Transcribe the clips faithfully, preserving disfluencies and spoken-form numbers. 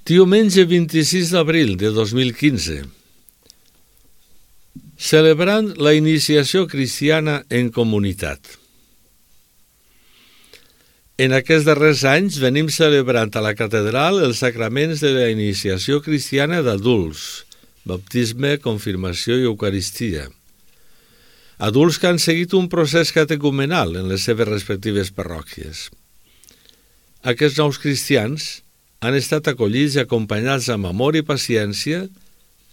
Diumenge vint-i-sis d'abril de dos mil quinze. Celebrant la iniciació cristiana en comunitat. En aquests darrers anys venim celebrant a la catedral els sacraments de la iniciació cristiana d'adults, baptisme, confirmació i eucaristia. Adults que han seguit un procés catecumenal en les seves respectives parròquies. Aquests nous cristians han estat acollits i acompanyats amb amor i paciència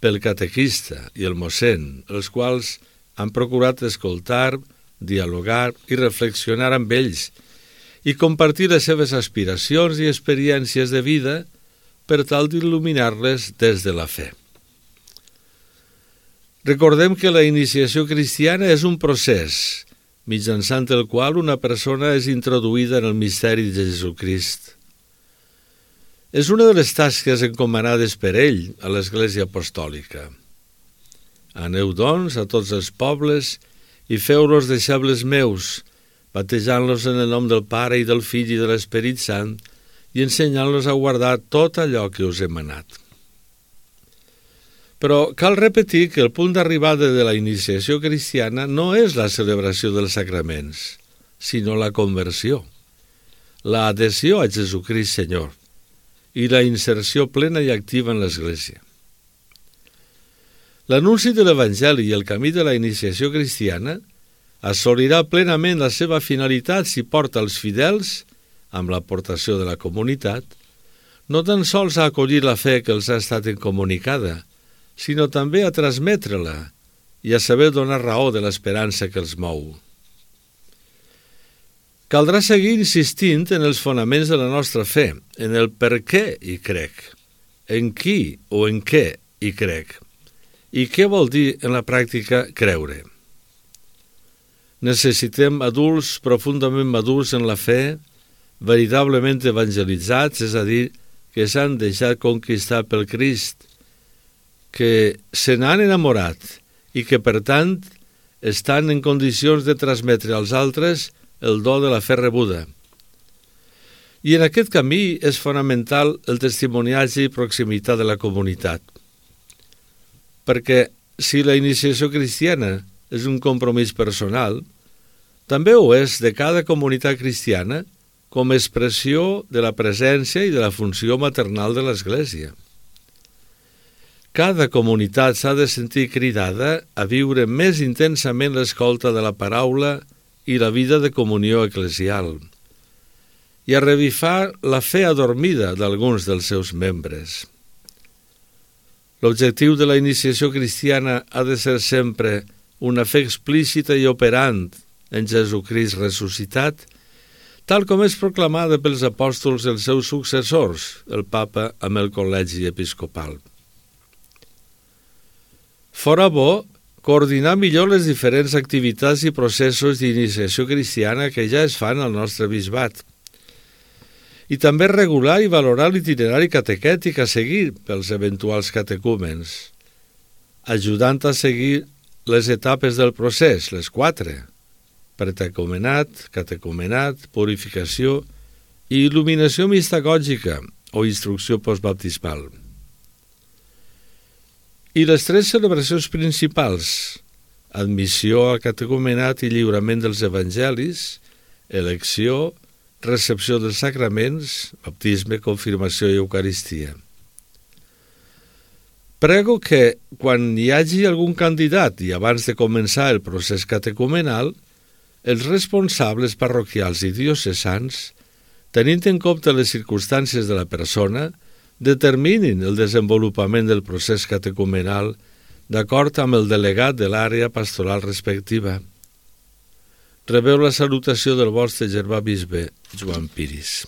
pel catequista i el mossèn, els quals han procurat escoltar, dialogar i reflexionar amb ells i compartir les seves aspiracions i experiències de vida per tal d'il·luminar-les des de la fe. Recordem que la iniciació cristiana és un procés mitjançant el qual una persona és introduïda en el misteri de Jesucrist. És una de les tasques encomanades per ell a l'Església Apostòlica. Aneu, doncs, a tots els pobles i feu-los deixebles meus, batejant-los en el nom del Pare i del Fill i de l'Esperit Sant i ensenyant-los a guardar tot allò que us he manat. Però cal repetir que el punt d'arribada de la iniciació cristiana no és la celebració dels sacraments, sinó la conversió, la adhesió a Jesucrist Senyor i la inserció plena i activa en l'Església. L'anunci de l'Evangeli i el camí de la iniciació cristiana assolirà plenament la seva finalitat si porta els fidels, amb l'aportació de la comunitat, no tan sols a acollir la fe que els ha estat incomunicada, sinó també a transmetre-la i a saber donar raó de l'esperança que els mou. Caldrà seguir insistint en els fonaments de la nostra fe, en el per què hi crec, en qui o en què hi crec, i què vol dir en la pràctica creure. Necessitem adults profundament madurs en la fe, veritablement evangelitzats, és a dir, que s'han deixat conquistar pel Crist, que se n'han enamorat i que, per tant, estan en condicions de transmetre als altres el do de la fe rebuda. I en aquest camí és fonamental el testimoniatge i proximitat de la comunitat. Perquè si la iniciació cristiana és un compromís personal, també ho és de cada comunitat cristiana com a expressió de la presència i de la funció maternal de l'Església. Cada comunitat s'ha de sentir cridada a viure més intensament l'escolta de la paraula i la vida de comunió eclesial, i a revifar la fe adormida d'alguns dels seus membres. L'objectiu de la iniciació cristiana ha de ser sempre una fe explícita i operant en Jesucrist ressuscitat, tal com és proclamada pels apòstols i els seus successors, el Papa amb el Col·legi Episcopal. Fora bo coordinar millor les diferents activitats i processos d'iniciació cristiana que ja es fan al nostre bisbat, i també regular i valorar l'itinerari catequètic a seguir pels eventuals catecúmens, ajudant a seguir les etapes del procés, les quatre: pretecumenat, catecumenat, purificació i il·luminació mistagògica o instrucció postbaptismal. I les tres celebracions principals: admissió al catecumenat i lliurament dels evangelis, elecció, recepció dels sacraments, baptisme, confirmació i eucaristia. Prego que, quan hi hagi algun candidat i abans de començar el procés catecumenal, els responsables parroquials i diocesans, tenint en compte les circumstàncies de la persona, determinin el desenvolupament del procés catecumenal d'acord amb el delegat de l'àrea pastoral respectiva. Rebeu la salutació del vostre germà bisbe, Joan Piris.